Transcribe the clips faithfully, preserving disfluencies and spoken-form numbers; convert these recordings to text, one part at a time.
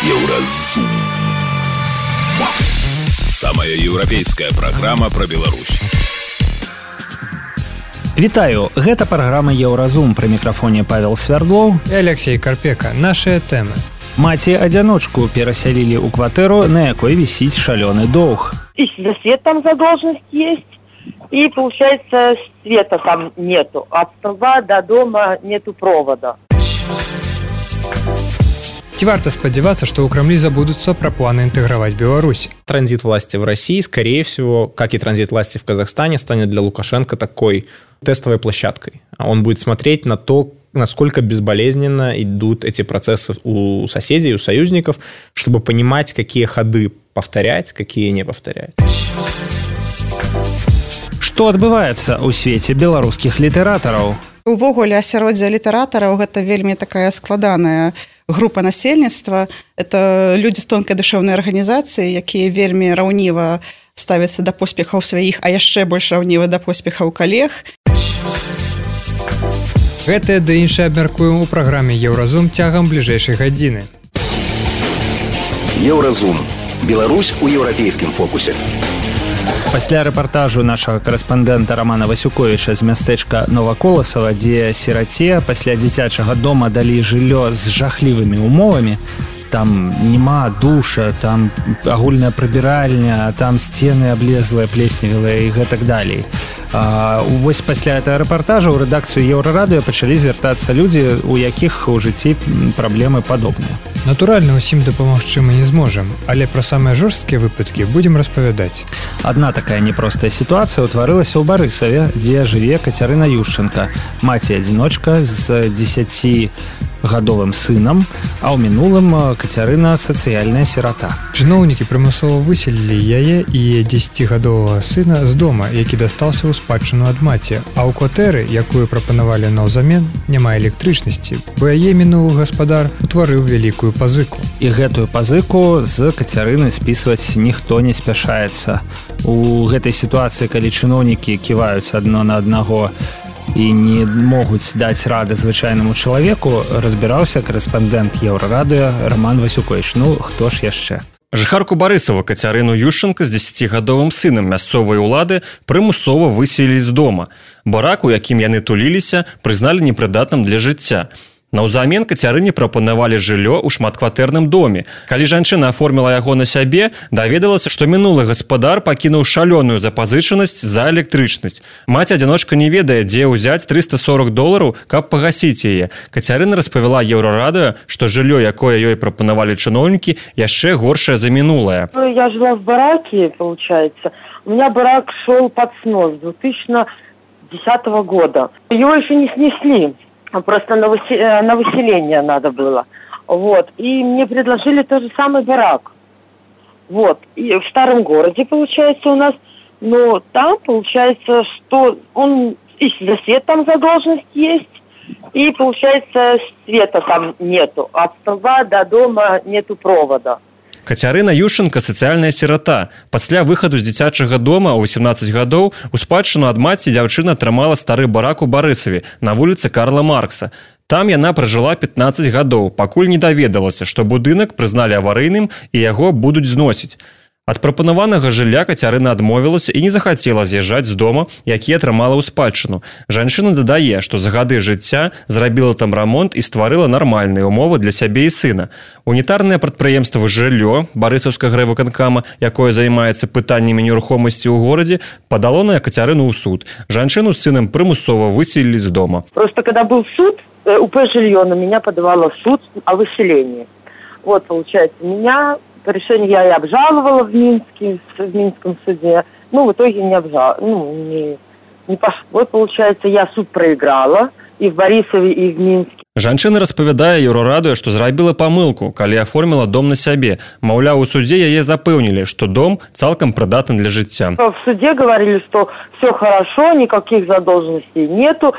Еўразум. Самая еўрапейская праграма пра Беларусь. Вітаю, гэта праграма Еўразум, пры мікрафоне Павел Свярдлоў і Алексей Карпека. Нашыя тэмы. Маці-адзяночку перасялілі ў кватэру, на якой вісіць шалёны доўг. И свет там задолженность есть, и получается света там нету. От столба до дома нету провода. Ці варта спадзявацца, што ў Крамлі забудуцца пра планы інтэграваць Беларусь? Транзит власти в России, скорее всего, как и транзит власти в Казахстане, станет для Лукашенко такой тестовой площадкой. Он будет смотреть на то, насколько безболезненно идут эти процессы у соседей, у союзников, чтобы понимать, какие ходы повторять, какие не повторять. Што адбываецца ў свеце беларускіх літаратараў? Увогуле, асяроддзе літаратараў гэта вельмі такая складаная група насельніцтва. Это людзі з тонкай душэўнай арганізацыі, якія вельмі раўніва ставяцца да поспехаў сваіх, а яшчэ больш раўніва да поспехаў калег. Гэтае ды іншае абмяркуем у праграме Еўразум цягам бліжэйшай гадзіны. Еўразум. Беларусь у еўрапейскім фокусе. Пасля рэпартажу нашага карэспандэнта Романа Васюковіча з мястэчка Новаколасава, дзе сіраце пасля дзіцячага дома далі жыллё з жахлівымі умовамі, там няма душа, там агульная прыбіральня, там сцены аблезлыя, плесневелыя і гэтак далей. А, вось пасля гэтага рэпартажа ў рэдакцыю Еўрарадыё пачалі звяртацца людзі, у якіх у жыцці праблемы падобныя. Натуральна, усім дапамагчы мы не зможам, але пра самыя жорсткія выпадкі будзем распавядаць. Адна такая непростая сітуацыя ўтварылася ў Барысаве, дзе жыве Кацярына Юшченка, маці-адзіночка з дзесяцігадовым сынам, а ў мінулым Кацярына сацыяльная сірата. Чыноўнікі прымусова выселілі яе і дзесяцігадовага сына з дома, які дастаўся ў спадчыну ад маці, а ў кватэры, якую прапанавалі наўзамен, няма электрычнасці, бо яе мінулы гаспадар утварыў вялікую пазыку. І гэтую пазыку з Кацярыны спісваць ніхто не спяшаецца. У гэтай сітуацыі, калі чыноўнікі ківаюць адно на аднаго і не могуць даць рады звычайнаму чалавеку, разбіраўся карэспандэнт Еўрарадыё Роман Васюковіч. Ну, хто ж яшчэ? Жыхарку Барысава Кацярыну Юшченка з дзесяцігадовым сынам мясцовай улады прымусова выселілі з дома. Барак, у якім яны туліліся, прызналі непрыдатным для жыцця. Наўзамен Кацярыне прапанавалі жыллё ў шматкватэрным доме. Калі жанчына аформіла яго на сябе, даведалася, што мінулы гаспадар пакінуў шалёную запазычанасць за электрычнасць. Маці-адзіночка не ведае, дзе ўзяць трыста сорок долараў, каб пагасіць яе. Кацярына распавяла Еўрарадыё, што жыллё, якое ёй прапанавалі чыноўнікі, яшчэ горшае за минулое. Я жила в бараке, получается. У меня барак шел под снос с две тысячи десятого года. Его еще не снесли. Просто на, высе... на выселение надо было. Вот. И мне предложили тот же самый барак. Вот. И в старом городе, получается, у нас. Но там, получается, что он... И за свет там задолженность есть. И, получается, света там нету. От столба до дома нету провода. Кацярына Юшченка сацыяльная сірата. Пасля выхаду з дзіцячага дома ў васемнаццаць гадоў у спадчыну ад маці дзяўчына атрымала стары барак у Барысаве на вуліцы Карла Маркса. Там яна пражыла пятнаццаць гадоў, пакуль не даведалася, што будынак прызналі аварыйным і яго будуць зносіць. Ад прапанаванага жылля Кацярына адмовілася і не захацела з'язджаць з дома, які атрымала ў спадчыну. Жанчына дадае, што за гады жыцця зрабіла там рамонт і стварыла нармальныя умовы для сябе і сына. Унітарнае прадпрыемства «Жыллё» Барысаўскага райвыканкама, якое займаецца пытаннямі нерухомасці ў горадзе, падало на Кацярыну ў суд. Жанчыну з сынам прымусова выселілі з дома. Просто когда был суд, УП «Жилье» на меня подавало в суд о выселении. Вот, получается, меня... Решение я и обжаловала в Минске, в Минском суде. Ну, в итоге не обжаловала. Ну, не, не пошло. Вот, получается, я суд проиграла и в Борисове, и в Минске. Жанчына распавядае Еўрарадыё, што зрабіла памылку, калі аформіла дом на сябе. Маўляў, у судзе яе запэўнілі, што дом цалкам прыдатны для жыцця. В суде говорили, что все хорошо, никаких задолженностей нету,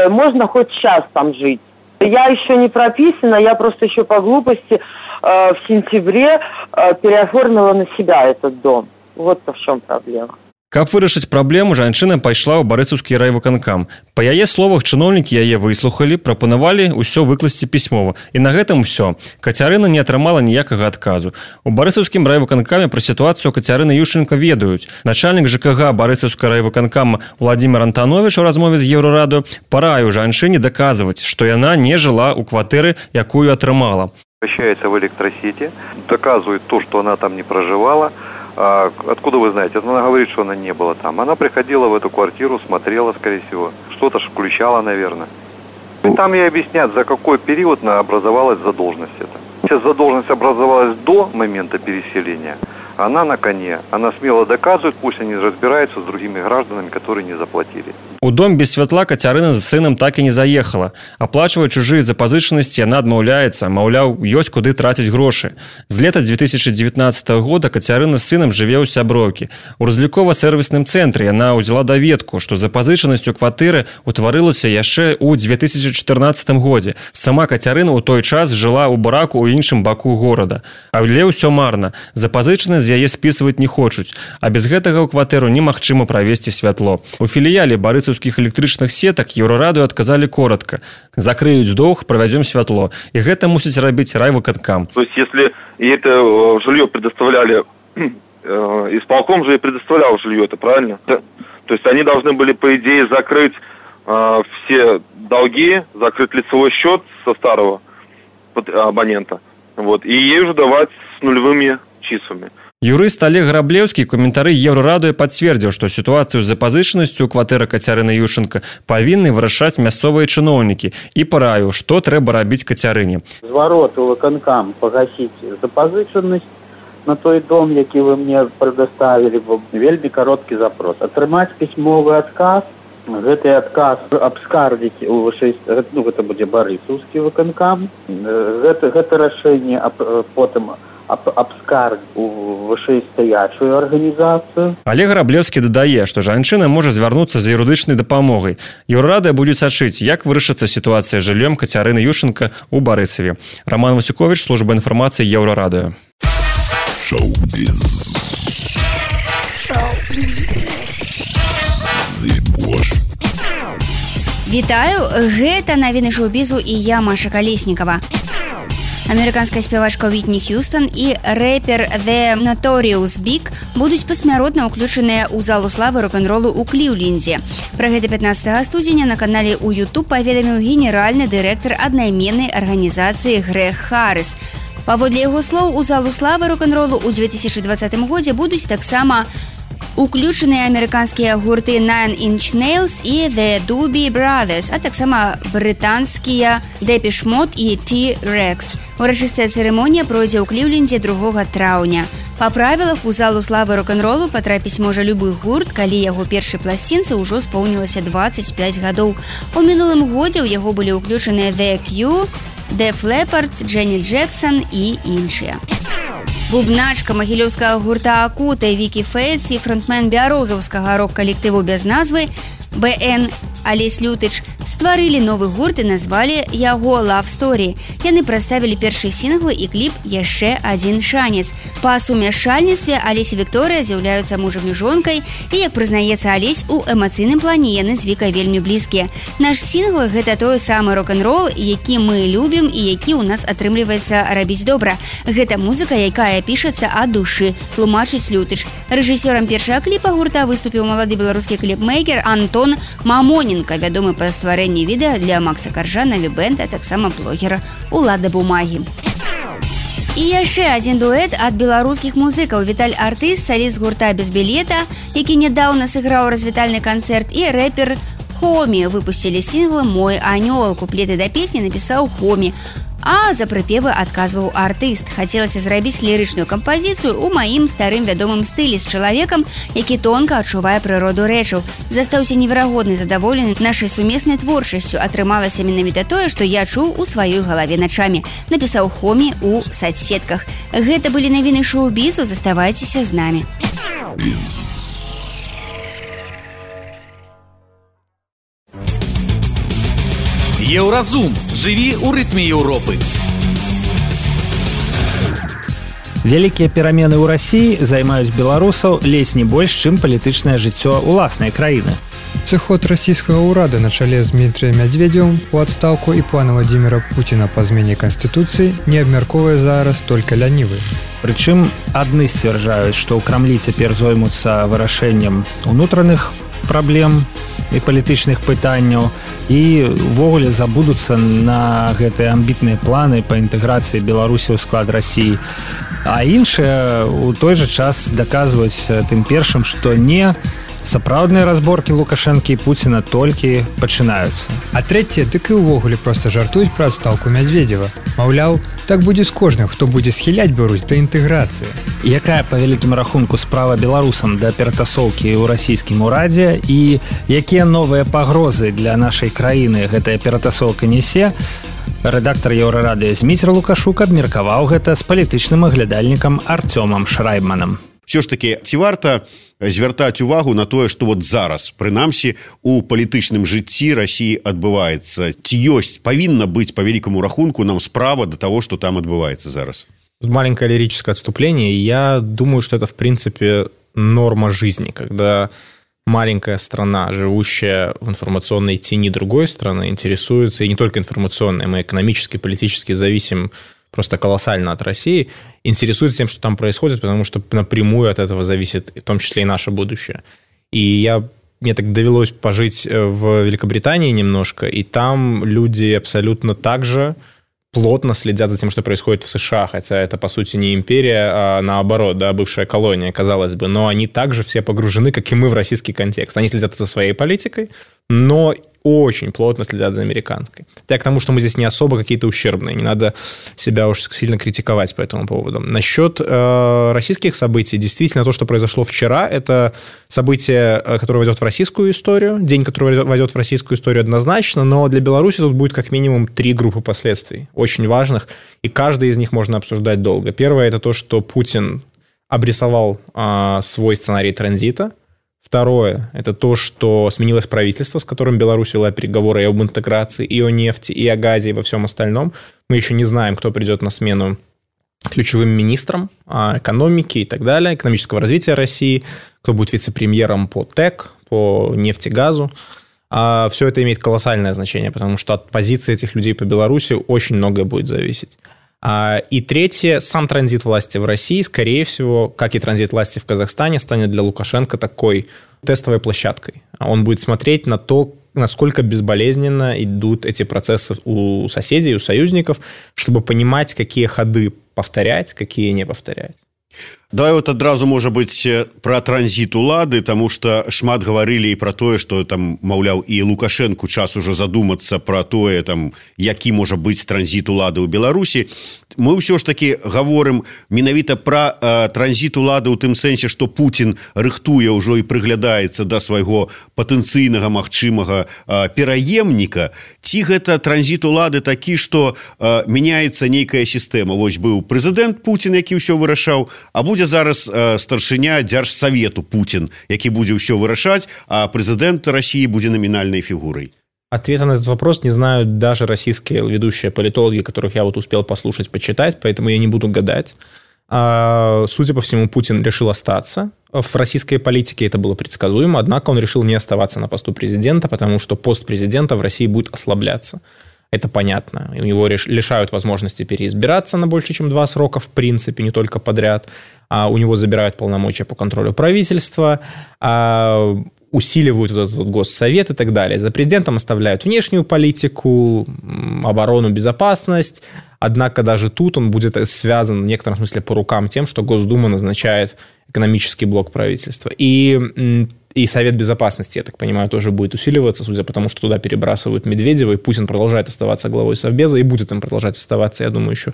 можно хоть час там жить. Я еще не прописана, я просто еще по глупости в сентябре переоформила на себя этот дом. Вот в чем проблема. Каб вырашыць праблему, жанчына пайшла ў барысаўскі райвыканкам. Па яе словах, чыноўнікі яе выслухалі, прапанавалі ўсё выкласці пісьмова. І на гэтым усё. Кацярына не атрымала ніякага адказу. У барысаўскім райвыканкаме пра сітуацыю Кацярыны Юшчэнка ведаюць. Начальнік ЖКГ барысаўскага райвыканкама Владимир Антанович у размове з Еўрарадыё параіў жанчыне даказваць, што яна не жыла ў кватэры, якую атрымала. Обращается в электросети, доказывает то, что она там не проживала. А откуда вы знаете? Она говорит, что она не была там. Она приходила в эту квартиру, смотрела, скорее всего. Что-то ж включала, наверное. И там ей объяснят, за какой период образовалась задолженность эта. Сейчас задолженность образовалась до момента переселения. Она на коне. Она смело доказывает, пусть они разбираются с другими гражданами, которые не заплатили. У дом без святла Кацярына з сынам так і не заехала. Аплачваць чужыя запазычанасці яна адмаўляецца, маўляў, ёсць куды траціць грошы. З лета две тысячи девятнадцатого года Кацярына з сынам жыве ў сяброўкі. У разлікова-сервісным цэнтры яна ўзяла даведку, што запазычанасць у кватэры ўтварылася яшчэ ў две тысячи четырнадцатым годзе. Сама Кацярына ў той час жыла ў бараку ў іншым баку горада. Але ўсё марна. Запазычанасць з яе спісваць не хочуць, а без гэтага ў кватэру немагчыма правесці святло. У філіяле барысаўскіх электрычных сетак Еўрарадыё адказалі коротко. Закрыюць доўг, проведем святло. И гэта мусіць рабіць райвыканкам. То есть, если и это жилье предоставляли, исполком же и предоставлял жилье, это правильно? То есть, они должны были, по идее, закрыть э, все долги, закрыть лицевой счет со старого абонента, вот, и ей уже давать с нулевыми числами. Юрыст Олег Граблеўскі каментары Еўрарадыё пацвердзіў, што сітуацыю з запазычанасцю ў кватэры Кацярыны Юшчэнка павінны вырашаць мясцовыя чыноўнікі і параіў, што трэба рабіць Кацярыне. Зварот у выканкам пагасіць запазычанасць на той дом, які вы мне прадоставілі, бо вельмі кароткі запрос. Атрымаць пісьмовы адказ, гэты адказ абскардзіць у вышэй, ну гэта будзе барысаўскі выканкам, гэта, гэта рашэнне потым абскарг у вышэйстаячую арганізацыю. Олег Граблеўскі дадае, што жанчына можа звярнуцца за юрыдычнай дапамогай. Еўрарадыё будзе сачыць, як вырашыцца сітуацыя з жыллём Кацярыны Юшчэнка ў Барысаве. Роман Васюкович, служба інфармацыі Еўрарадыё. Шоу-біз. Вітаю, гэта навіны шоу-бізу і я, Маша Калеснікава. Амерыканская спявачка Уітні Х'юстон і рэпер The Notorious Big будуць пасмяротна ўключаныя ў залу славы рок-н-ролу ў Кліўлендзе. Пра гэта пятнаццатага студзеня на канале ў YouTube паведаміў генеральны дырэктар аднайменнай арганізацыі Грег Харрис. Паводле яго слоў, у залу славы рок-н-ролу ў две тысячи двадцатым годзе будуць таксама уключаныя амерыканскія гурты Nine Inch Nails і The Doobie Brothers, а таксама брытанскія Depeche Mode і T-Rex. Урачыстая цырымонія пройдзе ў Кліўлендзе другога траўня. Па правілах, у залу славы рок-н-ролу патрапіць можа любы гурт, калі яго першай пласцінцы ўжо споўнілася дваццаць пяць гадоў. У мінулым годзе ў яго былі ўключаныя The Cure, Def Leppard, Дженні Джексон і іншыя. Бубначка магілёўскага гурта Акута Вікі Фейтс і фронтмен бярозаўскага рок-калектыву без назвы бэ эн Алесь Лютыч стварылі новы гурт і назвалі яго Love Story. Яны прадставілі першыя сінглы і кліп «Яшчэ адзін шанец». Па сумяшчальніцтве Алесь і Вікторыя з'яўляюцца мужам і жонкай, і, як прызнаецца Алесь, у эмацыйным плане яны з Вікай вельмі блізкія. Наш сінгл – гэта той самы рок-н-рол, які мы любім і які ў нас атрымліваецца рабіць добра. Гэта музыка, якая пішацца ад душы, тлумачыць Лютыч. Рэжысёрам першага кліпа гурта выступіў малады беларускі кліпмейкер Антон Мамоненко, вядомы па стварэнні відэа для Макса Каржа, Наві-бэнд, а таксама блогера Улада Бумагі. І яшчэ адзін дуэт ад беларускіх музыкаў. Віталь Артыст, саліст гурта без білета, які нядаўна сыграў развітальны канцэрт, і рэпер Хомі выпусцілі сінгл «Мой анёл». Куплеты да песні напісаў Хомі, а за прыпевы адказваў Артыст. Хацелася зрабіць лірычную кампазіцыю ў маім старым вядомым стылі з чалавекам, які тонка адчувае прыроду рэчаў. Застаўся неверагодны задаволены нашай сумеснай творчасцю. Атрымалася менавіта тое, што я чуў у сваёй галаве начамі, напісаў Хомі ў сацсетках. Гэта былі навіны шоу-бізу, заставайцеся з намі. Еўразум. Жыві ў рытме Еўропы. Вялікія перамены ў Расіі займаюць беларусаў ледзь не больш, чым палітычнае жыццё ўласнай краіны. Сыход расійскага ўрада на чале з Дмітрыем Мядзведзевым у адстаўку і плана Владзіміра Пуціна па змене канстытуцыі не абмяркоўвае зараз толькі лянівы. Прычым адны сцвярджаюць, што ў Крамлі цяпер зоймуцца вырашэннем унутраных праблем і палітычных пытанняў і ўвогуле забудуцца на гэтыя амбітныя планы па інтэграцыі Беларусі ў склад Расіі. А іншыя у той жа час даказваюць тым першым, што не сапраўдныя разборкі Лукашэнкі і Пуціна толькі пачынаюцца. А трэцяе, дык і ўвогуле проста жартуюць пра адстаўку Мядзведзева. Маўляў, так будзе з кожным, хто будзе схіляць Беларусь да інтэграцыі. Якая па вялікім рахунку справа беларусам да ператасоўкі ў расійскім урадзе і якія новыя пагрозы для нашай краіны гэтая ператасоўка нясе, рэдактар Еўрарадыё Зміцер Лукашук абмеркаваў гэта з палітычным аглядальнікам Арцёмам Шрайбманам. Все ж таки, ці варта звяртаць увагу на тое, што вот зараз, прынамсі, у палітычным жыцці Расіі адбываецца? Ці ёсць, павінна быць па вялікаму рахунку нам справа до того, что там адбываецца зараз? Тут маленькое лирическое отступление. Я думаю, что это, в принципе, норма жизни, когда маленькая страна, живущая в информационной тени другой страны, интересуется, и не только информационной, мы экономически, политически зависим просто колоссально от России, интересуется тем, что там происходит, потому что напрямую от этого зависит в том числе и наше будущее. И я, мне так довелось пожить в Великобритании немножко, и там люди абсолютно так же плотно следят за тем, что происходит в США, хотя это, по сути, не империя, а наоборот, да, бывшая колония, казалось бы, но они также все погружены, как и мы, в российский контекст. Они следят за своей политикой, но очень плотно следят за американской. Я к тому, что мы здесь не особо какие-то ущербные, не надо себя уж сильно критиковать по этому поводу. Насчет э, российских событий, действительно, то, что произошло вчера, это событие, которое войдет в российскую историю, день, который войдет в российскую историю однозначно, но для Беларуси тут будет как минимум три группы последствий, очень важных, и каждый из них можно обсуждать долго. Первое – это то, что Путин обрисовал э, свой сценарий транзита. Второе – это то, что сменилось правительство, с которым Беларусь вела переговоры и об интеграции, и о нефти, и о газе, и во всем остальном. Мы еще не знаем, кто придет на смену ключевым министрам экономики и так далее, экономического развития России, кто будет вице-премьером по ТЭК, по нефти, газу. Все это имеет колоссальное значение, потому что от позиции этих людей по Беларуси очень многое будет зависеть. И третье, сам транзит власти в России, скорее всего, как и транзит власти в Казахстане, станет для Лукашенко такой тестовой площадкой. Он будет смотреть на то, насколько безболезненно идут эти процессы у соседей, у союзников, чтобы понимать, какие ходы повторять, какие не повторять. Давай вот адразу, можа быць, пра транзіт улады, таму што шмат гаварылі і пра тое, што там, маўляў, і Лукашэнку час ужо задумацца пра тое, там, які можа быць транзіт улады ў Беларусі. Мы ўсё ж такі гаворым менавіта пра э, транзіт улады ў тым сэнсе, што Путін рыхтуе ўжо і прыглядаецца да свайго патэнцыйнага магчымага э, пераемніка. Ці гэта транзіт улады такі, што э, мяняецца нейкая сістэма? Вось быў прэзідэнт Путін, які ўсё вырашаў, а будзе зараз э, старшыня дзяржсавету Путін, які будзе ўсё вырашаць, а прэзідэнт России будзе номинальной фигурой? Ответа на этот вопрос не знают даже российские ведущие политологи, которых я вот успел послушать, почитать, поэтому я не буду гадать. А, судя по всему, Путин решил остаться в российской политике, это было предсказуемо, однако он решил не оставаться на посту президента, потому что пост президента в России будет ослабляться. Это понятно. У него лишают возможности переизбираться на больше, чем два срока, в принципе, не только подряд. А у него забирают полномочия по контролю правительства, а усиливают вот этот вот госсовет и так далее. За президентом оставляют внешнюю политику, оборону, безопасность. Однако даже тут он будет связан в некотором смысле по рукам тем, что Госдума назначает экономический блок правительства. И... И Совет Безопасности, я так понимаю, тоже будет усиливаться, судя по тому, что туда перебрасывают Медведева, и Путин продолжает оставаться главой Совбеза, и будет им продолжать оставаться, я думаю, еще,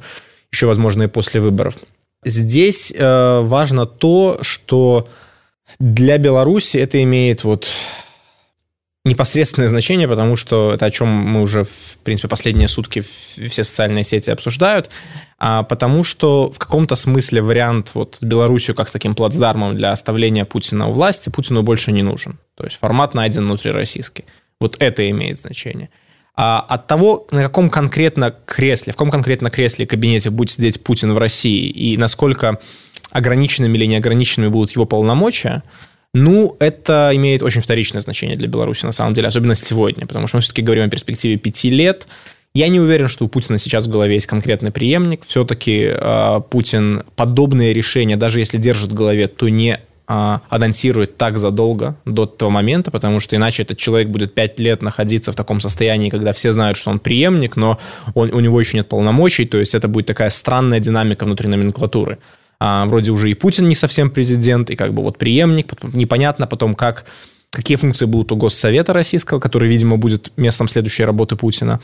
еще возможно, и после выборов. Здесь э, важно то, что для Беларуси это имеет вот непосредственное значение, потому что это о чем мы уже, в принципе, последние сутки все социальные сети обсуждают, а потому что в каком-то смысле вариант вот с Беларусью как с таким плацдармом для оставления Путина у власти Путину больше не нужен. То есть формат найден внутрироссийский. Вот это имеет значение. А от того, на каком конкретно кресле, в каком конкретно кресле кабинете будет сидеть Путин в России и насколько ограниченными или неограниченными будут его полномочия, ну, это имеет очень вторичное значение для Беларуси, на самом деле, особенно сегодня, потому что мы все-таки говорим о перспективе пяти лет. Я не уверен, что у Путина сейчас в голове есть конкретный преемник. Все-таки э, Путин подобные решения, даже если держит в голове, то не э, анонсирует так задолго до этого момента, потому что иначе этот человек будет пять лет находиться в таком состоянии, когда все знают, что он преемник, но он, у него еще нет полномочий, то есть это будет такая странная динамика внутри номенклатуры. А, вроде уже и Путин не совсем президент, и как бы вот преемник, непонятно потом, как... какие функции будут у Госсовета российского, который, видимо, будет местом следующей работы Путина.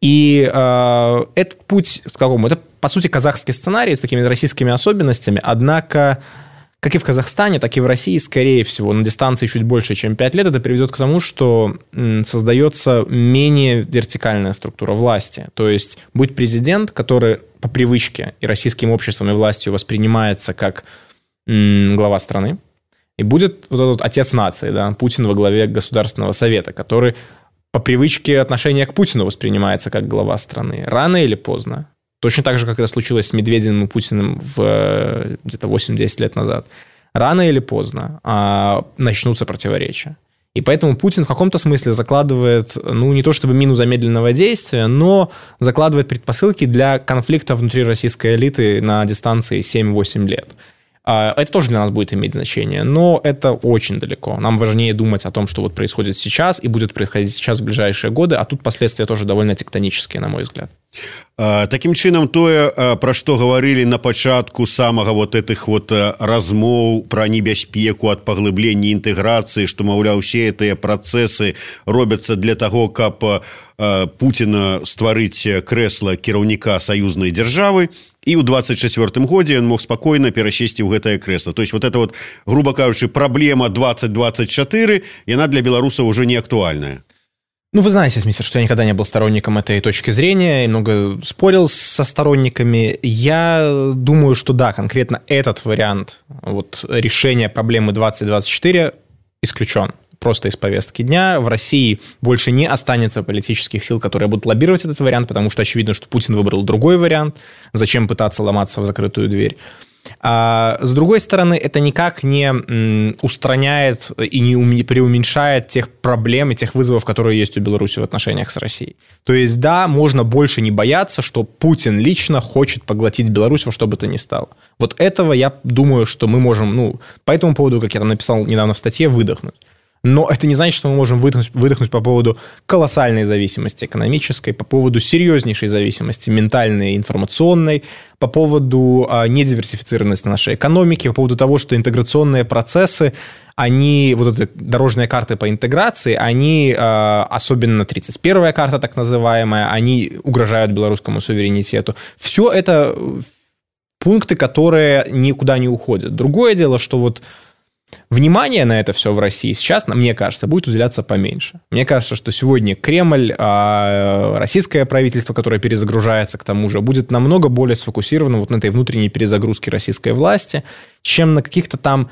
И э, этот путь, к какому? Это, по сути, казахский сценарий с такими российскими особенностями, однако, как и в Казахстане, так и в России, скорее всего, на дистанции чуть больше, чем пять лет, это приведет к тому, что м, создается менее вертикальная структура власти. То есть будет президент, который по привычке и российским обществом, и властью воспринимается как м, глава страны, и будет вот этот отец нации, да, Путин во главе Государственного совета, который по привычке отношения к Путину воспринимается как глава страны. Рано или поздно, точно так же, как это случилось с Медведевым и Путиным в, где-то восемь-десять лет назад, рано или поздно а, начнутся противоречия. И поэтому Путин в каком-то смысле закладывает, ну, не то чтобы мину замедленного действия, но закладывает предпосылки для конфликта внутри российской элиты на дистанции семь-восемь лет. Это тоже для нас будет иметь значение, но это очень далеко. Нам важнее думать о том, что вот происходит сейчас и будет происходить сейчас в ближайшие годы, а тут последствия тоже довольно тектонические, на мой взгляд. Таким чынам, тое, пра што гаварылі на пачатку самага вот этих вот размоў пра небяспеку ад паглыблення інтэграцыі, што, маўляў, усе гэтыя працэсы робяцца для таго, каб Пуціна стварыць крэсла кіраўніка саюзнай дзяржавы, і ў двадцать четвёртым годзе ён мог спакойна перасесці ў гэтае крэсла. То есть вот это вот, грубо кажучы, праблема двадцать двадцать четыре, яна для беларусаў уже не актуальная. Ну, вы знаете, мистер, что я никогда не был сторонником этой точки зрения и много спорил со сторонниками. Я думаю, что да, конкретно этот вариант вот, решения проблемы двадцать двадцать четыре исключен просто из повестки дня. В России больше не останется политических сил, которые будут лоббировать этот вариант, потому что очевидно, что Путин выбрал другой вариант. Зачем пытаться ломаться в закрытую дверь? А с другой стороны, это никак не устраняет и не преуменьшает тех проблем и тех вызовов, которые есть у Беларуси в отношениях с Россией. То есть, да, можно больше не бояться, что Путин лично хочет поглотить Беларусь во что бы то ни стало. Вот этого, я думаю, что мы можем, ну, по этому поводу, как я там написал недавно в статье, выдохнуть. Но это не значит, что мы можем выдохнуть, выдохнуть по поводу колоссальной зависимости экономической, по поводу серьезнейшей зависимости ментальной и информационной, по поводу а, недиверсифицированности нашей экономики, по поводу того, что интеграционные процессы, они, вот эти дорожные карты по интеграции, они, а, особенно тридцать первая карта так называемая, они угрожают белорусскому суверенитету. Все это пункты, которые никуда не уходят. Другое дело, что вот внимание на это все в России сейчас, мне кажется, будет уделяться поменьше. Мне кажется, что сегодня Кремль, российское правительство, которое перезагружается к тому же, будет намного более сфокусировано вот на этой внутренней перезагрузке российской власти, чем на каких-то там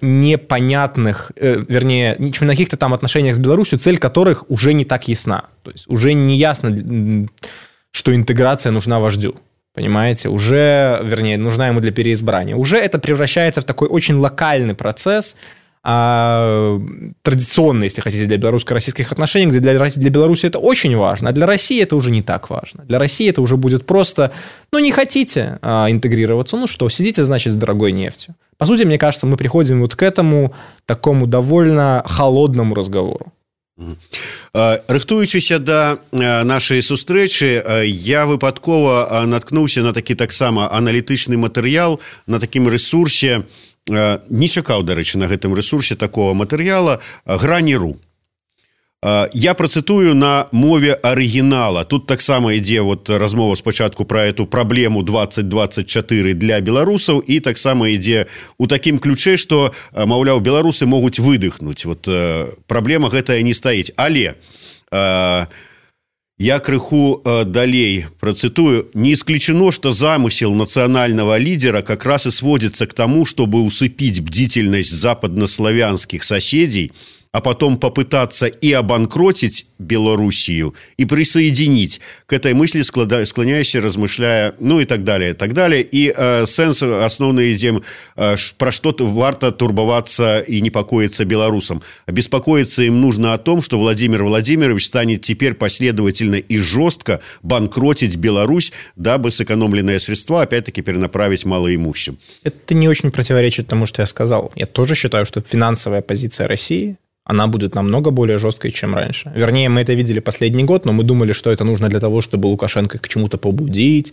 непонятных, вернее, чем на каких-то там отношениях с Беларусью, цель которых уже не так ясна. То есть уже не ясно, что интеграция нужна вождю. Понимаете, уже, вернее, нужна ему для переизбрания. Уже это превращается в такой очень локальный процесс, а, традиционный, если хотите, для белорусско-российских отношений, где для, для Беларуси это очень важно, а для России это уже не так важно. Для России это уже будет просто, ну, не хотите а, интегрироваться, ну что, сидите, значит, с дорогой нефтью. По сути, мне кажется, мы приходим вот к этому такому довольно холодному разговору. Рыхтуючыся да нашай сустрэчы, я выпадкова наткнуўся на такі таксама аналітычны матэрыял на такім рэсурсе, не чакаў, дарэчы, на гэтым рэсурсе такого матэрыяла, Грані.ру. Я працытую на мове арыгінала. Тут таксама ідзе вот размова спачатку пра эту праблему двадцать двадцать четыре для беларусаў і таксама ідзе у такім ключе, што, маўляў, беларусы могуць выдыхнуць. Вот праблема гэтая не стаіць. Але я крыху далей працытую. Не исключено, что замысел национального лидера как раз и сводится к тому, чтобы усыпить бдительность западнославянских соседей а потом попытаться и обанкротить Белоруссию, и присоединить. К этой мысли склоняешься, размышляя, ну и так далее, и так далее. И э, сенс основный, идем, э, про что варто турбоваться и непокоиться белорусам. Беспокоиться им нужно о том, что Владимир Владимирович станет теперь последовательно и жестко банкротить Беларусь, дабы сэкономленные средства опять-таки перенаправить малоимущим. Это не очень противоречит тому, что я сказал. Я тоже считаю, что финансовая позиция России, она будет намного более жесткой, чем раньше. Вернее, мы это видели последний год, но мы думали, что это нужно для того, чтобы Лукашенко к чему-то побудить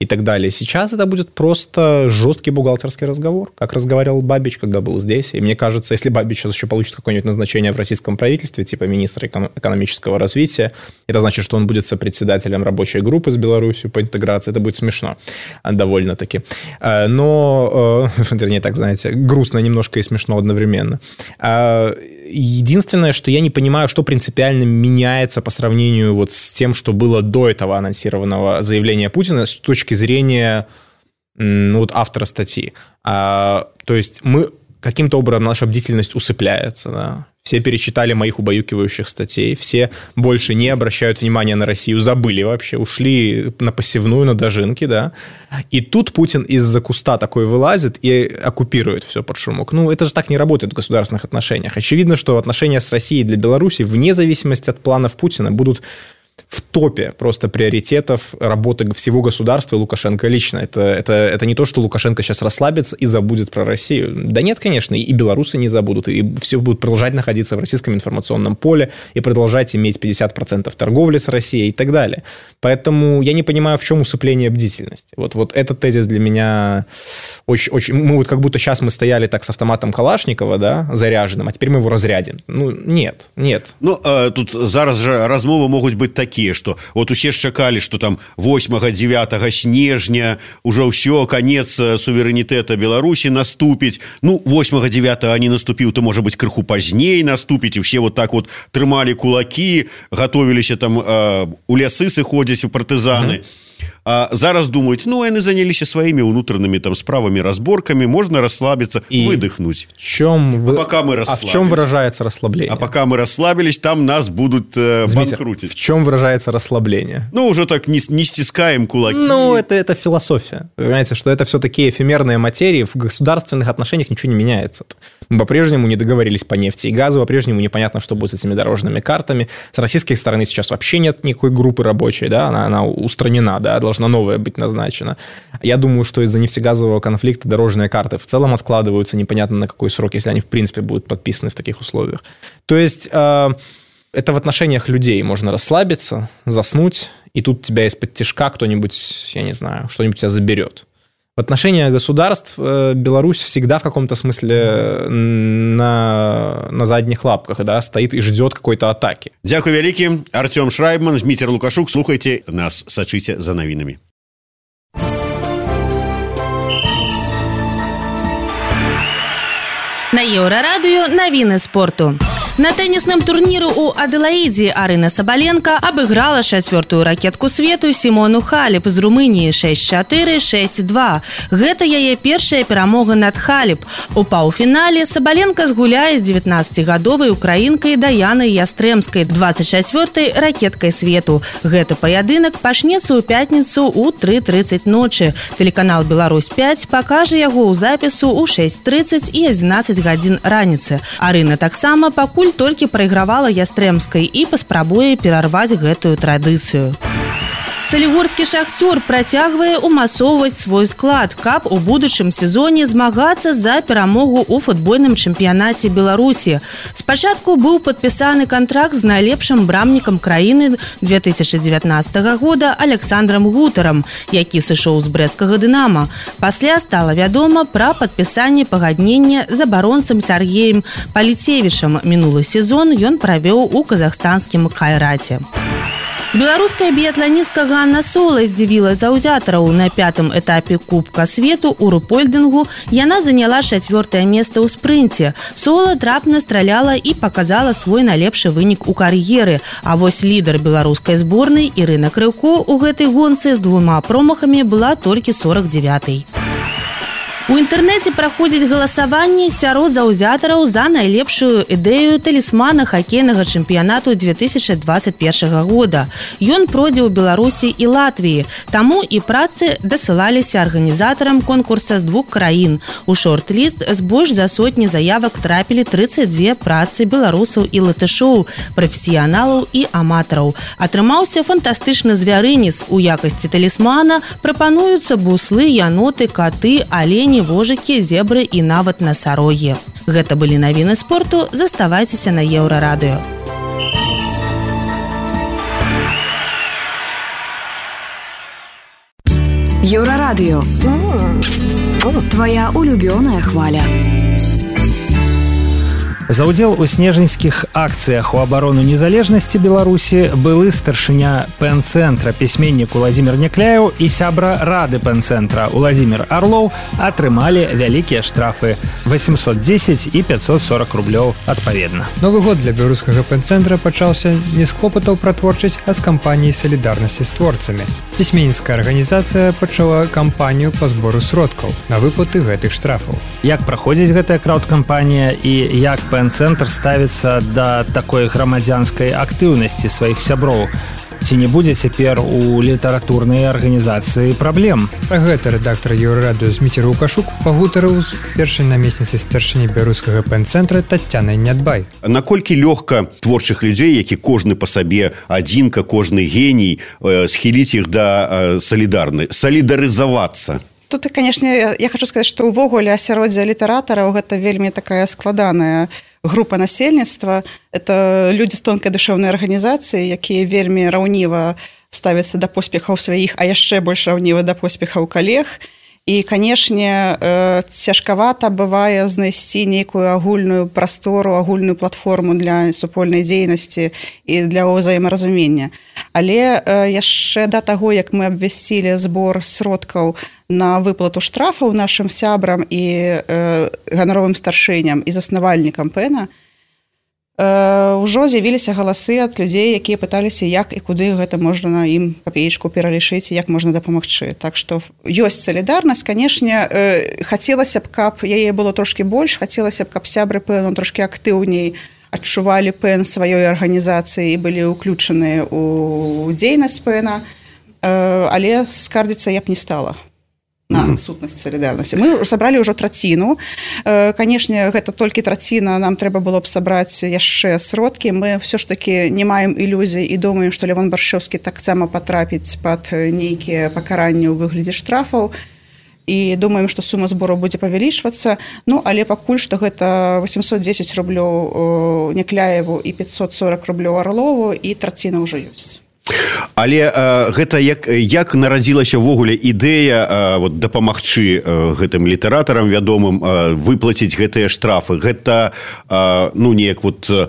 и так далее. Сейчас это будет просто жесткий бухгалтерский разговор, как разговаривал Бабич, когда был здесь. И мне кажется, если Бабич сейчас еще получит какое-нибудь назначение в российском правительстве, типа министра экономического развития, это значит, что он будет сопредседателем рабочей группы с Беларусью по интеграции. Это будет смешно довольно-таки. Но, вернее, так, знаете, грустно немножко и смешно одновременно. Единственное, что я не понимаю, что принципиально меняется по сравнению вот с тем, что было до этого анонсированного заявления Путина с точки зрения ну, вот автора статьи. А, то есть мы каким-то образом, наша бдительность усыпляется. Да? Все перечитали моих убаюкивающих статей, все больше не обращают внимания на Россию, забыли вообще, ушли на пассивную, на дожинки, да. И тут Путин из-за куста такой вылазит и оккупирует все под шумок. Ну, это же так не работает в государственных отношениях. Очевидно, что отношения с Россией для Беларуси, вне зависимости от планов Путина, будут в топе просто приоритетов работы всего государства и Лукашенко лично. Это, это, это не то, что Лукашенко сейчас расслабится и забудет про Россию. Да нет, конечно, и белорусы не забудут, и все будут продолжать находиться в российском информационном поле и продолжать иметь пятьдесят процентов торговли с Россией и так далее. Поэтому я не понимаю, в чем усыпление бдительности. Вот, вот этот тезис для меня очень, очень... Мы вот как будто сейчас мы стояли так с автоматом Калашникова, да, заряженным, а теперь мы его разрядим. Ну, нет, нет. Ну, а, тут зараз же размовы могут быть такие, что вот усе ж чакалі, что там восьмага-дзевятага снежня уже ўсё, конец суверэнітэта Беларусі наступіць. Ну, восьмага-дзевятага не наступіў, то, может быть, крыху пазней наступіць, і все вот так вот трымалі кулаки, готовіліся там э, у лясы сыходзіць у партызаны. Mm-hmm. А зараз думают, ну, они занялись своими внутренними там справами, разборками, можно расслабиться, и выдохнуть. В чем, а, пока мы а в чем выражается расслабление? А пока мы расслабились, там нас будут э, Дмитрий, банкрутить. В чем выражается расслабление? Ну, уже так не, не стискаем кулаки. Ну, это, это философия. Вы понимаете, что это все такие эфемерные материи, в государственных отношениях ничего не меняется. Мы по-прежнему не договорились по нефти и газу, по-прежнему непонятно, что будет с этими дорожными картами. С российской стороны сейчас вообще нет никакой группы рабочей, да, она, она устранена, да, должна новая быть назначена. Я думаю, что из-за нефтегазового конфликта дорожные карты в целом откладываются непонятно на какой срок, если они в принципе будут подписаны в таких условиях. То есть э, это в отношениях людей можно расслабиться, заснуть, и тут тебя из-под тишка кто-нибудь, я не знаю, что-нибудь тебя заберет. В отношениях государств э, Беларусь всегда в каком-то смысле на, на задних лапках, да, стоит и ждет какой-то атаки. Дякую вялікі. Артем Шрайбман, Дмитрий Лукашук. Слухайте нас, сачыце за навінамі. На Еўрарадыё навіны спорту. На теннисным турніры ў Аделаідзе Арына Сабаленко абыграла чацвёртую ракетку свету Сімону Халеп з Румыніі шэсць чатыры шэсць два. Гэта яе першая перамога над Халеп. У паўфінале Сабаленко згуляе з дзевятнаццацігадовай украінкай Даянай Ястрэмскай, дваццаць чацвёртай ракеткай свету. Гэты паядынак пачнецца ў пятніцу ў тры трыццаць ночы. Тэлеканал Беларусь пяць пакажа яго ў запісу ў шэсць трыццаць і адзінаццаць гадзін раніцы. Арына таксама пакуль толькі прайгравала Ястрэмскай і паспрабуе перарваць гэтую традыцыю. Салігорскі «Шахцёр» працягвае умацоўваць свой склад, каб у будучым сезоне змагацца за перамогу ў футбольным чэмпіянаце Беларусі. Спачатку быў падпісаны кантракт з найлепшым брамнікам краіны две тысячы дзевятнаццатага года Александром Гутарам, які сышоў з брэсцкага «Дынама». Пасля стала вядома пра падпісанне пагаднення з абаронцам Сергеем Паліцевічам. Мінулы сезон ён правёў у казахстанскім «Кайраце». Беларуская біятланістка Ганна Сола здзівіла заўзятараў. На пятым этапе Кубка свету ў рупольдынгу яна заняла чацвёртае месца ў спрынце. Сола трапна страляла і паказала свой найлепшы вынік у кар'еры. А вось лідар беларускай зборнай Ірына Крыўко ў гэтай гонцы з двума промахамі была толькі сорок дзевятай. У інтэрнэце праходзіць галасаванне сярод заўзятараў за найлепшую ідэю талісмана хакейнага чэмпіянату две тысячи двадцать первого года. Ён пройдзе ў Беларусі і Латвіі. Таму і працы дасылаліся арганізатарам конкурса з двух краін. У шорт-ліст з больш за сотні заявак трапілі тридцать две працы беларусаў і латышоў, прафесіяналаў і аматараў. Атрымаўся фантастычны звярынец. У якасці талісмана прапануюцца буслы, яноты, каты, алені, вожыкі, зебры і нават насарогі. Гэта былі навіны спорту. Заставайцеся на Еўрарадыё. Еўрарадыё. Твоя улюбёная хваля. За ўдзел у снежаньскіх акцыях у абарону незалежнасці Беларусі былы старшыня пэн-цэнтра, пісьменнік Уладзімір Някляеў і сябра рады пэн-цэнтра Уладзімір Арлоў атрымалі вялікія штрафы восемьсот десять і пятьсот сорок рублёў адпаведна. Новы год для беларускага пэн-цэнтра пачаўся не з клопатаў пра творчасць, а з кампаніі салідарнасці з творцамі. Пісьменніцкая арганізацыя пачала кампанію па збору сродкаў на выплаты гэтых штрафаў. Як праходзіць гэтая краўд-кампанія і як пэн-цэнтр ставіцца да такой грамадзянскай актыўнасці сваіх сяброў? Ці не будзе цяпер у літаратурнай арганізацыі праблем? Пра гэта рэдактар Еўрарадыё Зміцер Лукашук пагутарыў з першай намесніцай старшыні беларускага пэн-цэнтра Таццянай Нядбай. Наколькі лёгка творчых людзей, які кожны па сабе адзінка, кожны геній, схіліць іх да салідарнай, салідарызавацца? Тут, конечно, я хочу сказаць, што ўвогуле асяроддзе літаратараў гэта вельмі такая складаная група насельніцтва. Это людзі з тонкай душэўнай арганізацыі, якія вельмі раўніва ставяцца да поспехаў сваіх, а яшчэ больш раўніва да поспехаў калег. І, канешне, цяжкавата бывае знайсці нейкую агульную прастору, агульную платформу для супольнай дзейнасці і для ўзаемаразумення. Але яшчэ да таго, як мы абвясцілі збор сродкаў на выплату штрафаў нашым сябрам і ганаровым старшыням і заснавальнікам пэна, ўжо з'явіліся галасы ад людзей, якія пыталіся, як і куды гэта можна ім капеечку пералічыць, як можна дапамагчы. Так што ёсць салідарнасць. Канешне, хацелася б, каб яе было трошкі больш, хацелася б, каб сябры пэну трошкі актыўней адчувалі пэн сваёй арганізацыі і былі ўключаныя ў дзейнасць пэна, але скардзіцца я б не стала на адсутнасць салідарнасці. Мы сабралі ўжо траціну. Канешне, гэта толькі траціна, нам трэба было б сабраць яшчэ сродкі. Мы ўсё ж такі не маем ілюзій і думаем, што Лявон Баршэўскі таксама патрапіць пад нейкія пакаранні ў выглядзе штрафаў. І думаем, што сума збору будзе павялічвацца. Ну, але пакуль што гэта восемьсот десять рублёў Някляеву і пятьсот сорок рублёў Арлову, і траціна ўжо ёсць. Але э, гэта як, як нарадзілася ўвогуле ідэя э, вот, дапамагчы э, гэтым літаратарам вядомым э, выплаціць гэтыя штрафы. Гэта э, ну, неяк вот э,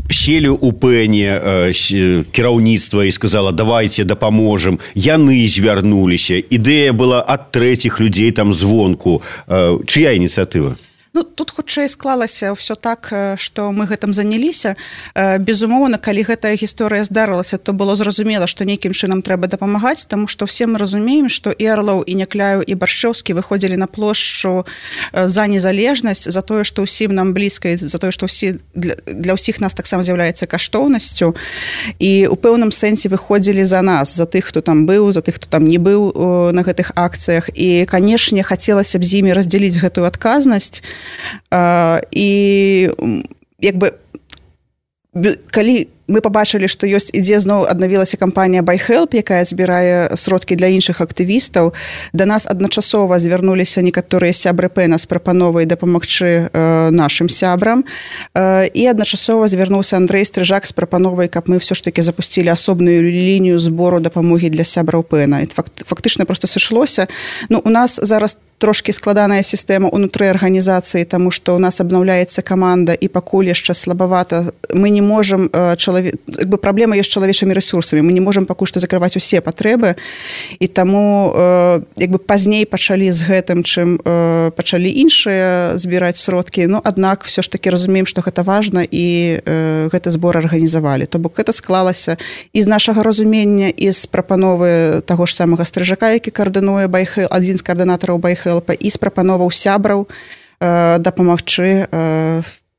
сели у пэне э, кіраўніцтва і сказала, давайте дапаможам. Яны звярнуліся. Ідэя была ад трэціх людзей там звонку. Э, чыя ініцыятыва? Ну, тут хутчэй склалася ўсё так, што мы гэтым заняліся. Безумоўна, калі гэтая гісторыя здарылася, то было зразумела, што нейкім чынам трэба дапамагаць, таму што ўсе мы разумеем, што і Арлоў, і Някляеў, і Баршэўскі выходзілі на плошчу за незалежнасць, за тое, што ўсім нам блізка, за тое, што ўсі, для, для ўсіх нас таксама з'яўляецца каштоўнасцю, і ў пэўным сэнсе выходзілі за нас, за тых, хто там быў, за тых, хто там не быў на гэтых акцыях. І, канешне, хацелася б з імі раздзяліць гэтую адказнасць. Uh, і як бы калі мы пабачылі, што ёсць ідзе зноў аднавілася кампанія BuyHelp, якая збірае сродкі для іншых актывістаў. Да нас адначасова звярнуліся некаторыя сябры пэна з прапановай дапамагчы э, нашым сябрам. Э, і адначасова звярнуўся Андрэй Стрыжак з прапановай, каб мы ўсё ж такі запусцілі асобную лінію збору дапамогі для сябраў пэна. І факт, фактычна проста сышлося. Ну, у нас зараз трошки складаная сістэма ўнутры арганізацыі, таму што ў нас абнаўляецца каманда і пакуль яшчэ слабавата. Мы не можам э, чалавек, як бы праблема ёсць чалавечымі рэсурсамі. Мы не можам пакуль што закрываць усе патрэбы, і таму як бы пазней пачалі з гэтым, чым пачалі іншыя збіраць сродкі, но аднак все ж таки разумеем, што гэта важна, і гэты збор арганізавалі. То бок гэта склалася і з нашага разумення, і з прапановы таго ж самага Стрыжака, які каардынуе байхэл, адзін з каардынатараў байхэлпа, і з прапановаў сябраў дапамагчы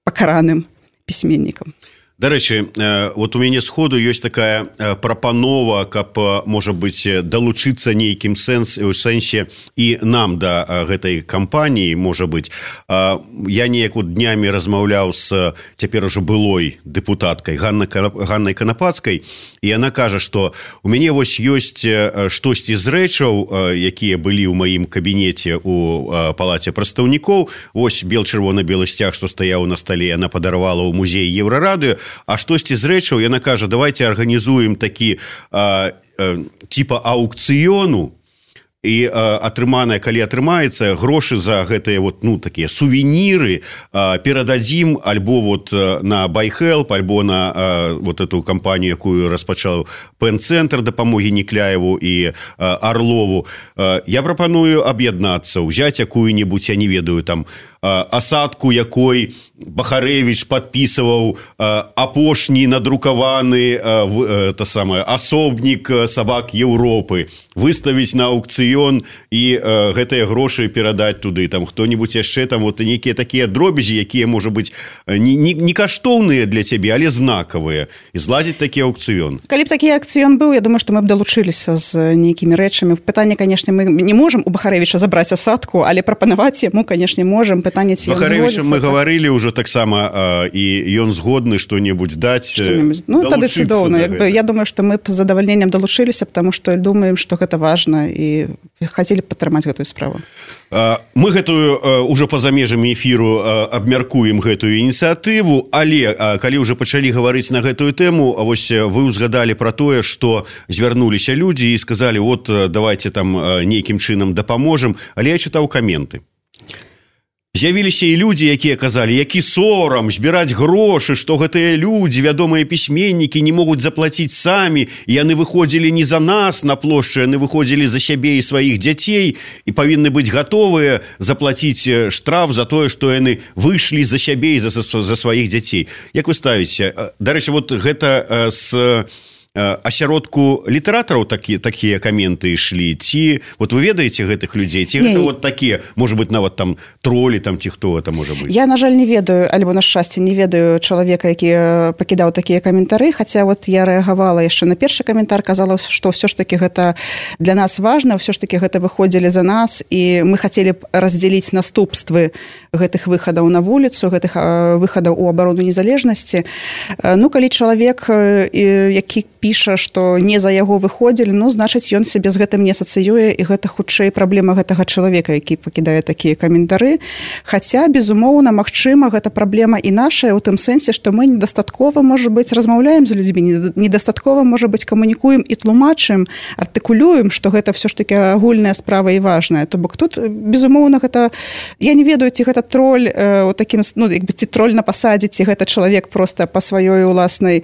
пакараным пісьменнікам. Дарэчы, вот у мяне сходу ёсць такая прапанова, каб, можа быць, далучыцца нейкім сэнс, у сэнсе і нам да гэтай кампаніі, можа быць. Я неяк вот днямі размаўляў з цяпер ужо былой дэпутаткай Ганнай Канапацкай, і яна кажа, што у мяне вось ёсць штосьці з рэчаў, якія былі ў маім кабінеце у палаце прадстаўнікоў. Вось бел-чырвона-белы сцяг, што стаяў на стале, яна падарвала ў музей Еўрарадыё. А штосьці з рэчаў, яна кажа, давайте арганізуем такі а, а, типа аукцыёну, і а, атрыманая, калі атрымаецца, грошы за гэтыя вот, ну, такія сувеніры а, перададзім альбо вот на байхэлп, альбо на а, вот эту кампанію, якую распачаў пэн-цэнтр дапамогі Некляеву і а, Арлову. А, я прапаную аб'яднацца, узяць якую-небудзь, я не ведаю, там, асадку, якой Бахарэвіч падпісываў апошні надрукаваны та самае асобнік сабак Еўропы, выставіць на аукцыён і гэтыя грошы перадаць туды. Там хто-небудзь яшчэ, там вот нейкія такія дробязі, якія, можа быць, не, не, не каштоўныя для цябе, але знакавыя, і зладзіць такі аукцыён. Калі б такі аукцыён быў, я думаю, што мы б далучыліся з нейкімі рэчамі. Пытанне, канешне, мы не можам у Бахарэвіча забраць асадку, але прапанаваць яму, канешне, можам. Бахарэвічам мы гаварылі ўжо таксама, і ён згодны што-небудзь даць. Ну, тады цудоўна. Я думаю, што мы з задавальненнем далучыліся, потому што думаем, што гэта важна, і хацелі б падтрымаць гэтую справу. Мы гэтую ўжо па-за межамі эфіру абмяркуем гэтую ініцыятыву, але калі ўжо пачалі гаварыць на гэтую тэму, вось вы ўзгадалі пра тое, што звярнуліся людзі і сказалі, вот давайте там нейкім чынам дапаможам, але я чытаў каменты. З'явіліся і людзі, якія казалі, які сорам збіраць грошы, што гэтыя людзі, вядомыя пісьменнікі, не могуць заплаціць самі, і яны выходзілі не за нас на плошчы, яны выходзілі за сябе і сваіх дзяцей і павінны быць гатовыя заплаціць штраф за тое, што яны выйшлі за сябе і за, за сваіх дзяцей. Як вы ставіце? Дарэчы, вот гэта з асяродку літаратараў такі, такія каменты ішлі, ці вот вы ведаеце гэтых людзей, ці не, гэта вот такія, можа быць, нават там тролі, там ці хто это можа быць? Я, на жаль, не ведаю, альбо на шчасце не ведаю чалавека, які пакідаў такія каментары, хаця вот я рэагавала яшчэ на першы каментар, казала, што ўсё ж таки гэта для нас важна, ўсё ж таки гэта выходзілі за нас, і мы хацелі б раздзяліць наступствы гэтых выхадаў на вуліцу, гэтых выхадаў у абарону незалежнасці. Ну, калі чалавек, які піша, што не за яго выходзілі, ну, значыць, ён сябе з гэтым не асацыюе, і гэта хутчэй праблема гэтага чалавека, які пакідае такія каментары. Хаця, безумоўна, магчыма, гэта праблема і нашая, у тым сэнсе, што мы недастаткова, можа быць, размаўляем з людзьмі, недастаткова, можа быць, камунікуем і тлумачым, артыкулюем, што гэта ўсё ж такі агульная справа і важная. То бок тут, безумоўна, гэта... Я не ведаю, ці гэта троль, э, таким, ну, як бы, ці троль на пасадзе, ці гэта чалавек проста па сваёй уласнай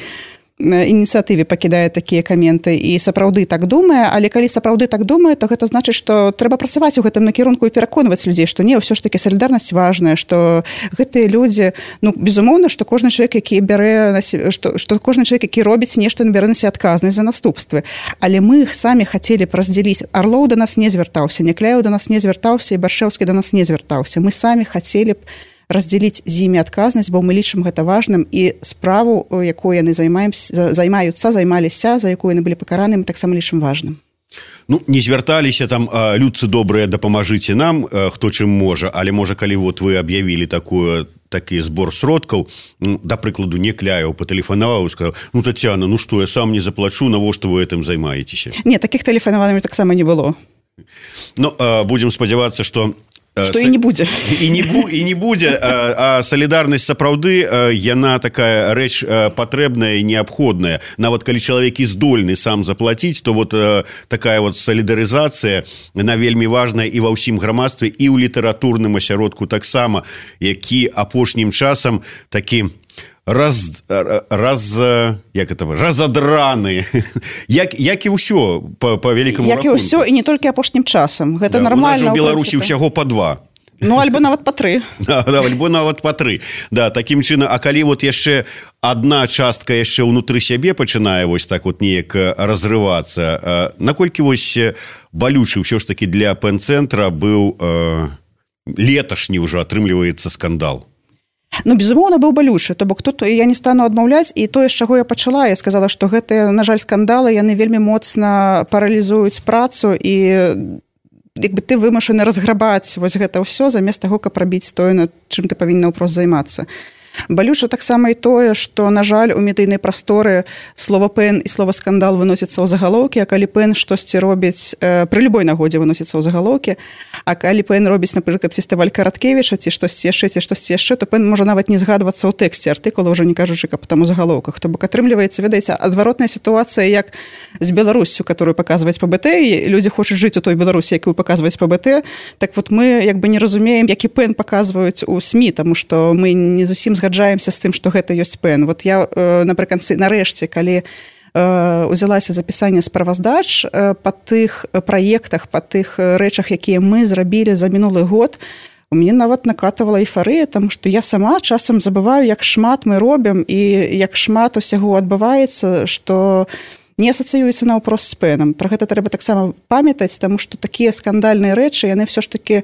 ініцыятыве пакідае такія каменты і сапраўды так думае, але калі сапраўды так думае, то гэта значыць, што трэба працаваць у гэтым накірунку і пераконваць людзей, што не, ўсё ж такі салідарнасць важная, што гэтыя людзі, ну, безумоўна, што кожны чалавек, які бярэ на себе, што, што кожны чалавек, які робіць нешта, ён бярэ на себе адказнасць за наступствы. Але мы самі хацелі б раздзяліць. Арлоў да нас не звяртаўся, Некляеў да нас не звяртаўся, і Баршэўскі да нас не звяртаўся. Мы самі хацелі б раздзяліць з імі адказнасць, бо мы лічым гэта важным, і справу, якую яны займаюцца, займаліся, за якую яны былі пакараны, мы таксама лічым важным. Ну, не звярталіся там, людцы добрыя, дапамажыце нам, хто чым можа, але можа, калі вот вы аб'явілі такую такі збор сродкаў, ну, да прыкладу, Некляеў патэлефанаваў і сказаў, ну, Тацяна, ну што, я сам не заплачу, навошта вы гэтым займаецеся? Не, такіх тэлефанаванняў таксама не было. Ну, будзем спадзявацца, што Што і не будзе. І не, бу, і не будзе, а, а салідарнасць сапраўды, яна такая рэч патрэбная і неабходная. Нават калі чалавек і здольны сам заплаціць, то вот такая вот салідарызацыя, яна вельмі важная і ва ўсім грамадстве, і ў літаратурным асяродку таксама, які апошнім часам такі раз раз як это разадраны як як і ўсё по по вялікаму як і ўсё і не толькі апошнім часам гэта да, нормально у Беларусі ўсяго по два. Ну, альбо нават па тры. Да, да, альбо нават па тры. Да, такім чынам, а калі вот яшчэ адна частка яшчэ ўнутры сябе пачынае вось так вот неяк разрывацца, наколькі вось балючы ўсё ж такі для пэн-цэнтра быў э, леташні ўжо атрымліваецца скандал? Ну, безумоўна, быў балючы, то бок тут я не стану адмаўляць, і тое, з чаго я пачала, я сказала, што гэтыя, на жаль, скандалы, яны вельмі моцна паралізуюць працу, і як бы ты вымушаны разграбаць вось гэта ўсё замест таго, каб рабіць тое, над чым ты павінна ўпрост займацца. Балюча таксама і тое, што, на жаль, у медыйнай прасторы слова пэн і слова скандал выносіцца ў загалоўкі, а калі пэн штосьці робіць, э, пры любой нагодзе выносіцца ў загалоўкі, а калі пэн робіць, напрыклад, фестываль Караткевіча ці штосьці яшчэ, ці штосьці яшчэ, то пэн можа нават не згадвацца ў тэксце артыкула, ўжо не кажучы, каб там у загалоўках. То бок атрымліваецца, ведаеце, адваротная сітуацыя, як з Беларуссю, которую паказваць па бэ тэ, і людзі хочуць жыць у той Беларусі, якую паказваць па бэ тэ, так вот мы як бы не разумеем, які пэн паказваюць у СМІ, таму што мы не зусім згаджаемся з тым, што гэта ёсць пэн. Вот я э, напрыканцы, нарэшце, калі э, узялася запісанне справаздач э, па тых праектах, па тых рэчах, якія мы зрабілі за мінулы год, у мяне нават накатывала эйфарыя, таму што я сама часам забываю, як шмат мы робім і як шмат усяго адбываецца, што не асацыюецца наўпрост з пэном. Пра гэта трэба таксама памятаць, таму што такія скандальныя рэчы, яны ўсё ж такі,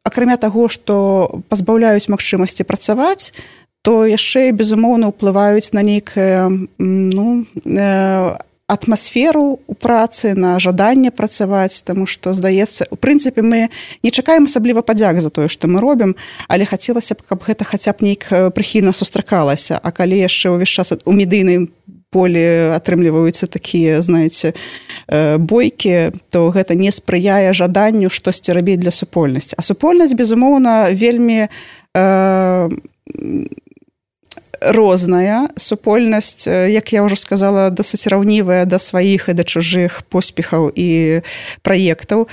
акрамя таго, што пазбаўляюць магчымасці працаваць, то яшчэ, безумоўна, ўплываюць на нейкую ну, э, атмасферу ў працы, на жаданне працаваць, таму што, здаецца, у прынцыпе, мы не чакаем асабліва падзяк за тое, што мы робім, але хацелася б, каб гэта хаця б нейк прыхільна сустракалася, а калі яшчэ ўвесь час у медыйным полі атрымліваюцца такія, знаеце, бойкі, то гэта не спрыяе жаданню штосьці рабіць для супольнасці. А супольнасць, безумоўна, вельмі э, розная. Супольнасць, як я ўжо сказала, досыць раўнівая да сваіх і да чужых поспехаў і праектаў.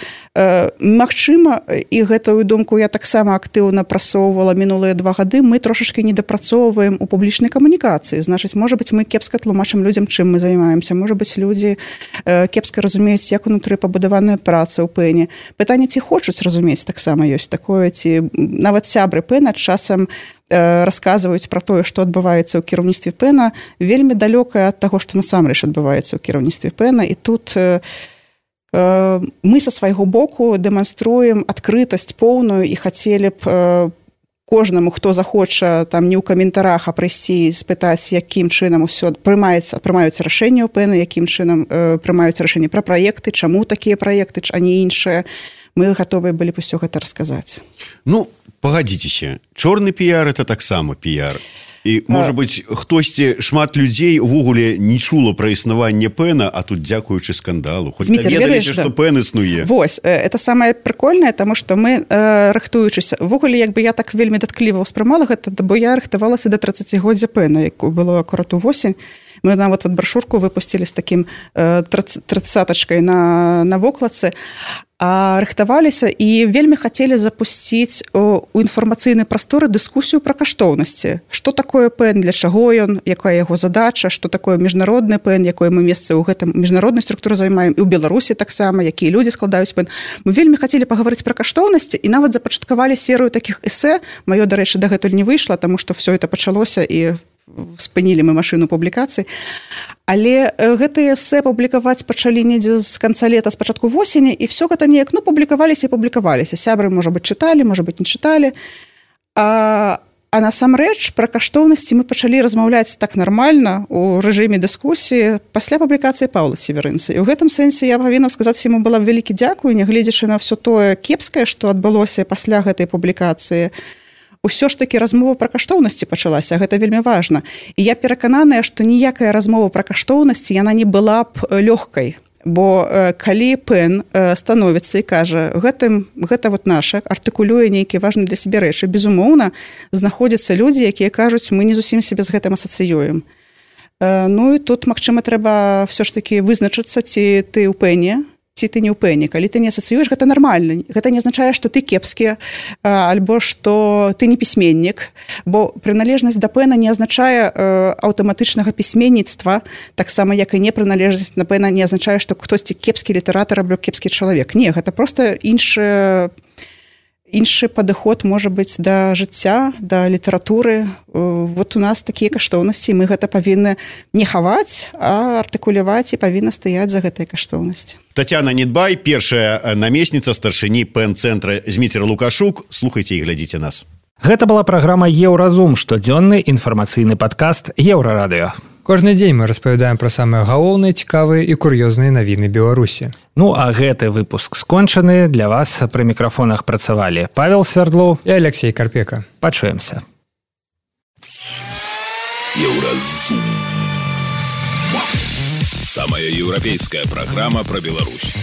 Магчыма, і гэтую думку я таксама актыўна прасоўвала мінулыя два гады, мы трошачкі недапрацоўваем у публічнай камунікацыі. Значыць, можа быць, мы кепска тлумачым людзям, чым мы займаемся. Можа быць, людзі кепска разумеюць, як унутры пабудаваная праца ў пэне. Пытанне, ці хочуць разумець, таксама ёсць такое, ці нават сябры пэна часам расказваюць пра тое, што адбываецца ў кіраўніцтве пэна, вельмі далёкае ад таго, што насамрэч адбываецца ў кіраўніцтве пэна. І тут э, мы са свайго боку дэманструем адкрытасць поўную і хацелі б э, кожнаму, хто захоча там не ў каментарах, а прыйсці і спытаць, якім чынам усё прымаецца, прымаюць рашэнне ў пэна, якім чынам э, прымаюць рашэнне пра праекты, чаму такія праекты, а не іншыя. Мы гатовыя былі б усё гэта расказаць. Ну, пагадзіцеся, чорны піяр это таксама піяр. І, можа быць, хтосьці, шмат людзей увогуле не чула пра існаванне пэна, а тут дзякуючы скандалу. Хоць даведаліся, што пэн існуе. Вось, это самае прыкольнае, таму што мы, э, рыхтуючыся, увогуле, як бы я так вельмі даткліва ўспрымала гэта, бо я рыхтавалася да трыццацігоддзя пэна, якую было акурат увосень. Мы нават вот брашурку выпусцілі з такім э, трыццатачкай на, на вокладцы, а рыхтаваліся і вельмі хацелі запусціць у інфармацыйнай прасторы дыскусію пра каштоўнасці. Што такое пэн, для чаго ён, якая яго задача, што такое міжнародны пэн, якое мы месца ў гэтым міжнароднай структуры займаем, і ў Беларусі таксама, якія людзі складаюць пэн. Мы вельмі хацелі пагаварыць пра каштоўнасці і нават запачаткавалі серыю такіх эсэ. Маё, дарэчы, дагэтуль не выйшла, таму што ўсё это пачалося і спынілі мы машыну публікацый. Але гэтыя эсэ публікаваць пачалі недзе з канца лета, з пачатку восені, і все гэта неяк, ну, публікаваліся і публікаваліся. Сябры, можа быць, чыталі, можа быць, не чыталі. А, а насамрэч пра каштоўнасці мы пачалі размаўляць так нармальна у рэжыме дыскусіі пасля публікацыі Паўла Северынца. І ў гэтым сэнсе я павінна сказаць, яму была вялікі дзякуй, нягледзячы на ўсё тое кепскае, што адбылося пасля гэтай публікацыі. Усё ж такі размова пра каштоўнасці пачалася, гэта вельмі важна. І я перакананая, што ніякая размова пра каштоўнасці яна не была б лёгкай, бо э, калі пэн э, становіцца і кажа, гэтым, гэта вот наша, артыкулюе нейкія важныя для сябе рэчы, безумоўна, знаходзяцца людзі, якія кажуць, мы не зусім сябе з гэтым асацыюем. Э, ну і тут, магчыма, трэба ўсё ж такі вызначыцца, ці ты ў пэне, ці ці ты не ўпэўнены. Калі ты не асацыюеш, гэта нармальна. Гэта не азначае, што ты кепскі альбо што ты не пісьменнік, бо прыналежнасць да пэна не азначае аўтаматычнага пісьменніцтва, таксама як і не прыналежнасць да пэна не азначае, што хтосьці кепскі літаратар або кепскі чалавек. Не, гэта проста іншы іншы падыход можа быць да жыцця, да літаратуры. Вот у нас такія каштоўнасці, мы гэта павінны не хаваць, а артыкуляваць і павінна стаяць за гэтай каштоўнасці. Тацяна Недбай, першая намесніца старшыні пэн-цэнтра Зміцер Лукашук. Слухайце і глядзіце нас. Гэта была праграма «Еўразум», штодзённы інфармацыйны падкаст «Еўрарадыё». Кожны дзень мы распавядаем пра самыя галоўныя, цікавыя і кур'ёзныя навіны Беларусі. Ну, а гэты выпуск скончаны. Для вас пры мікрафонах працавалі Павел Свердлоў і Алексей Карпека. Пачуемся. Еўразум. Самая еўрапейская праграма пра Беларусь.